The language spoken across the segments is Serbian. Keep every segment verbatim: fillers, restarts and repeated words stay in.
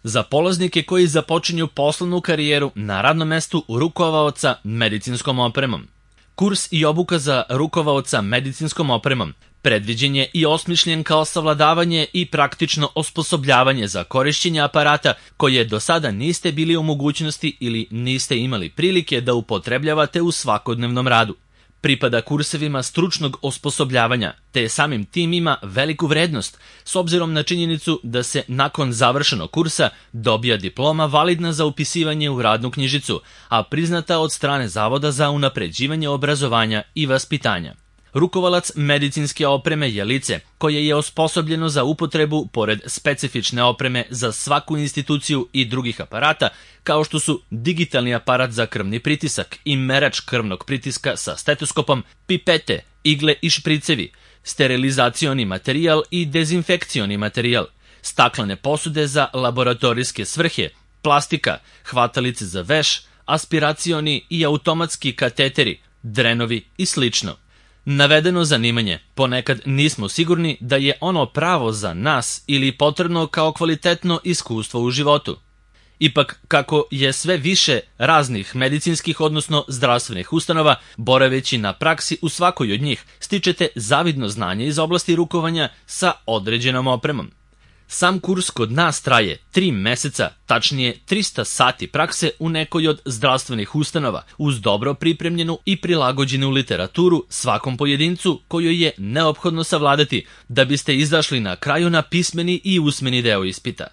Za polaznike koji započinju poslovnu karijeru na radnom mestu rukovaoca medicinskom opremom. Kurs i obuka za rukovaoca medicinskom opremom predviđen je i osmišljen kao savladavanje i praktično osposobljavanje za korišćenje aparata koje do sada niste bili u mogućnosti ili niste imali prilike da upotrebljavate u svakodnevnom radu. Pripada kursevima stručnog osposobljavanja, te samim tim ima veliku vrednost, s obzirom na činjenicu da se nakon završenog kursa dobija diploma validna za upisivanje u radnu knjižicu, a priznata od strane Zavoda za unapređivanje obrazovanja i vaspitanja. Rukovalac medicinske opreme je lice koje je osposobljeno za upotrebu pored specifične opreme za svaku instituciju i drugih aparata, kao što su digitalni aparat za krvni pritisak i merač krvnog pritiska sa stetoskopom, pipete, igle i špricevi, sterilizacioni materijal i dezinfekcioni materijal, staklene posude za laboratorijske svrhe, plastika, hvatalice za veš, aspiracioni i automatski kateteri, drenovi i slično. Navedeno zanimanje ponekad nismo sigurni da je ono pravo za nas ili potrebno kao kvalitetno iskustvo u životu. Ipak, kako je sve više raznih medicinskih odnosno zdravstvenih ustanova, boraveći na praksi u svakoj od njih, stičete zavidno znanje iz oblasti rukovanja sa određenom opremom. Sam kurs kod nas traje tri meseca, tačnije trista sati prakse u nekoj od zdravstvenih ustanova, uz dobro pripremljenu i prilagođenu literaturu svakom pojedincu koju je neophodno savladati da biste izašli na kraju na pismeni i usmeni deo ispita.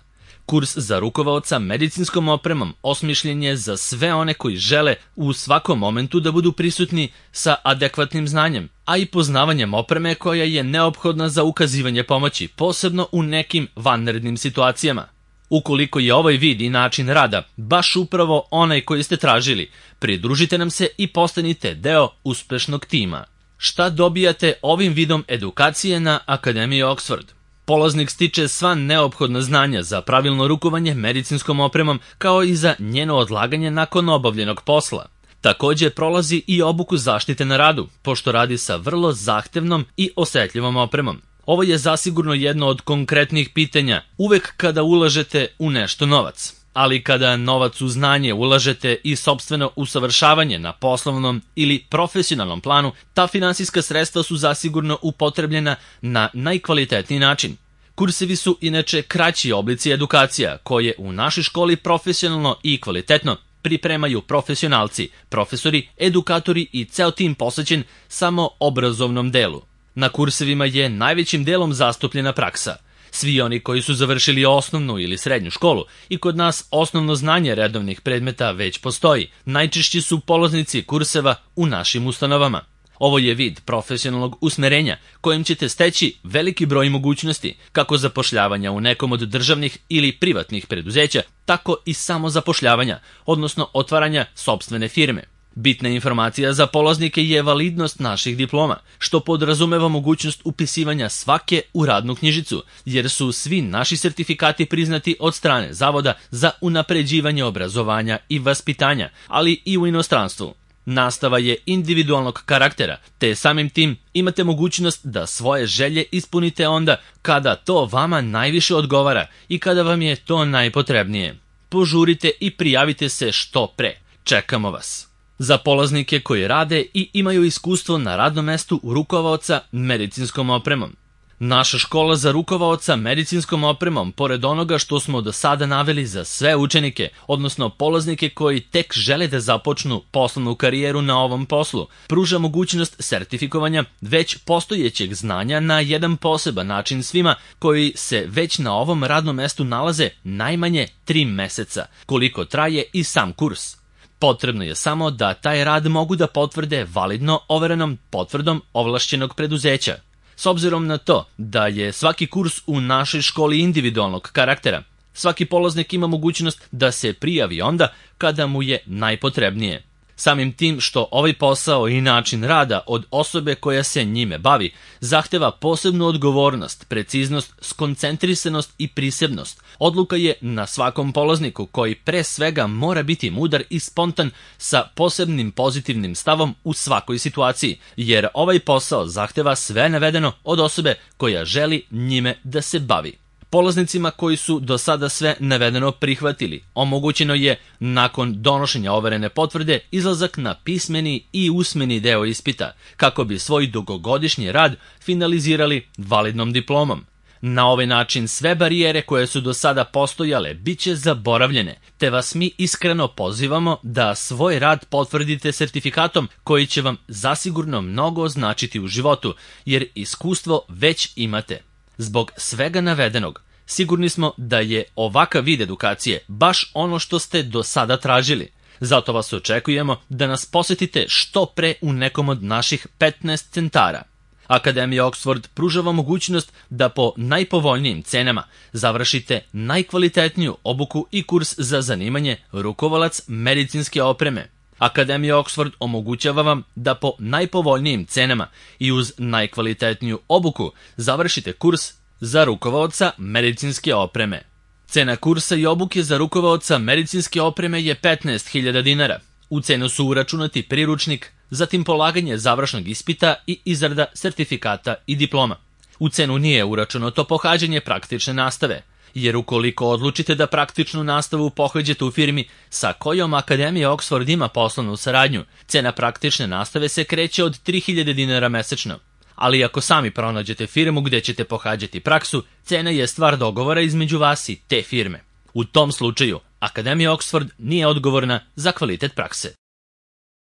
Kurs za rukovaoca medicinskom opremom osmišljen je za sve one koji žele u svakom momentu da budu prisutni sa adekvatnim znanjem, a i poznavanjem opreme koja je neophodna za ukazivanje pomoći, posebno u nekim vanrednim situacijama. Ukoliko je ovaj vid i način rada baš upravo onaj koji ste tražili, pridružite nam se i postanite deo uspešnog tima. Šta dobijate ovim vidom edukacije na Akademiji Oxford? Polaznik stiče sva neophodna znanja za pravilno rukovanje medicinskom opremom, kao i za njeno odlaganje nakon obavljenog posla. Također prolazi i obuku zaštite na radu, pošto radi sa vrlo zahtevnom i osetljivom opremom. Ovo je zasigurno jedno od konkretnih pitanja uvek kada ulažete u nešto novac. Ali kada novac u znanje ulažete i sopstveno usavršavanje na poslovnom ili profesionalnom planu, ta finansijska sredstva su zasigurno upotrebljena na najkvalitetniji način. Kursevi su inače kraći oblici edukacija koje u našoj školi profesionalno i kvalitetno pripremaju profesionalci, profesori, edukatori i ceo tim posvećen samo obrazovnom delu. Na kursevima je najvećim delom zastupljena praksa. Svi oni koji su završili osnovnu ili srednju školu i kod nas osnovno znanje redovnih predmeta već postoji, najčešći su polaznici kurseva u našim ustanovama. Ovo je vid profesionalnog usmerenja kojim ćete steći veliki broj mogućnosti, kako zapošljavanja u nekom od državnih ili privatnih preduzeća, tako i samozapošljavanja, odnosno otvaranja sopstvene firme. Bitna informacija za polaznike je validnost naših diploma, što podrazumeva mogućnost upisivanja svake u radnu knjižicu, jer su svi naši sertifikati priznati od strane Zavoda za unapređivanje obrazovanja i vaspitanja, ali i u inostranstvu. Nastava je individualnog karaktera, te samim tim imate mogućnost da svoje želje ispunite onda kada to vama najviše odgovara i kada vam je to najpotrebnije. Požurite i prijavite se što pre. Čekamo vas. Za polaznike koji rade i imaju iskustvo na radnom mestu rukovaoca medicinskom opremom. Naša škola za rukovaoca medicinskom opremom, pored onoga što smo do sada naveli za sve učenike, odnosno polaznike koji tek žele da započnu poslovnu karijeru na ovom poslu, pruža mogućnost sertifikovanja već postojećeg znanja na jedan poseban način svima koji se već na ovom radnom mestu nalaze najmanje tri meseca, koliko traje i sam kurs. Potrebno je samo da taj rad mogu da potvrde validno overenom potvrdom ovlašćenog preduzeća. S obzirom na to da je svaki kurs u našoj školi individualnog karaktera, svaki polaznik ima mogućnost da se prijavi onda kada mu je najpotrebnije. Samim tim što ovaj posao i način rada od osobe koja se njime bavi zahteva posebnu odgovornost, preciznost, skoncentrisanost i prisebnost. Odluka je na svakom polazniku koji pre svega mora biti mudar i spontan sa posebnim pozitivnim stavom u svakoj situaciji, jer ovaj posao zahteva sve navedeno od osobe koja želi njime da se bavi. Polaznicima koji su do sada sve navedeno prihvatili, omogućeno je, nakon donošenja overene potvrde, izlazak na pismeni i usmeni deo ispita, kako bi svoj dugogodišnji rad finalizirali validnom diplomom. Na ovaj način sve barijere koje su do sada postojale bit će zaboravljene, te vas mi iskreno pozivamo da svoj rad potvrdite sertifikatom koji će vam zasigurno mnogo značiti u životu, jer iskustvo već imate. Zbog svega navedenog, sigurni smo da je ovakav vid edukacije baš ono što ste do sada tražili. Zato vas očekujemo da nas posetite što pre u nekom od naših petnaest centara. Akademija Oxford pruža vam mogućnost da po najpovoljnijim cenama završite najkvalitetniju obuku i kurs za zanimanje rukovalac medicinske opreme. Akademija Oxford omogućava vam da po najpovoljnijim cenama i uz najkvalitetniju obuku završite kurs za rukovaoca medicinske opreme. Cena kursa i obuke za rukovaoca medicinske opreme je petnaest hiljada dinara. U cenu su uračunati priručnik, zatim polaganje završnog ispita i izrada sertifikata i diploma. U cenu nije uračunato pohađanje praktične nastave, jer ukoliko odlučite da praktičnu nastavu pohađate u firmi sa kojom Akademija Oxford ima poslovnu saradnju, cena praktične nastave se kreće od tri hiljade dinara mesečno. Ali ako sami pronađete firmu gde ćete pohađati praksu, cena je stvar dogovora između vas i te firme. U tom slučaju, Akademija Oxford nije odgovorna za kvalitet prakse.